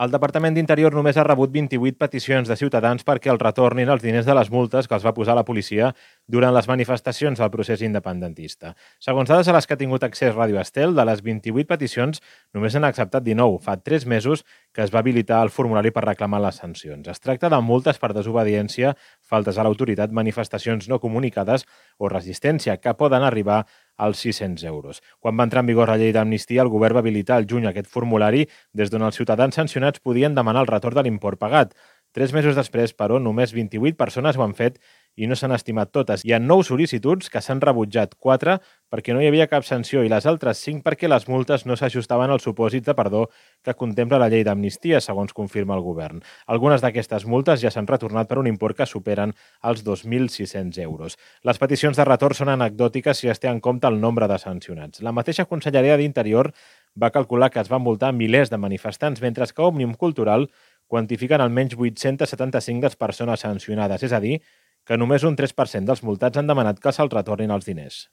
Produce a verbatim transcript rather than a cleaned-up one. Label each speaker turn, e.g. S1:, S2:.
S1: El Departament d'Interior només ha rebut vint-i-vuit peticions de ciutadans perquè els retornin els diners de les multes que els va posar la policia durant les manifestacions del procés independentista. Segons dades a les que ha tingut accés Ràdio Estel, de les vint-i-vuit peticions només n'han acceptat dinou. Fa tres mesos que es va habilitar el formulari per reclamar les sancions. Es tracta de multes per desobediència, faltes a l'autoritat, manifestacions no comunicades o resistència, que poden arribar als sis-cents euros. Quan va entrar en vigor la llei d'amnistia, el govern va habilitar al juny aquest formulari des d'on els ciutadans sancionats podien demanar el retorn de l'import pagat. Tres mesos després, però, només vint-i-vuit persones ho han fet i no s'han estimat totes. Hi ha nou sol·licituds que s'han rebutjat, quatre perquè no hi havia cap sanció i les altres cinc perquè les multes no s'ajustaven als supòsits de perdó que contempla la llei d'amnistia, segons confirma el govern. Algunes d'aquestes multes ja s'han retornat per un import que superen els dos mil sis-cents euros. Les peticions de retorn són anecdòtiques si es té en compte el nombre de sancionats. La mateixa Conselleria d'Interior va calcular que es van multar milers de manifestants, mentre que Òmnium Cultural quantifiquen almenys vuit-cents setanta-cinc les persones sancionades, és a dir, que només un tres per cent dels multats han demanat que se'ls retornin els diners.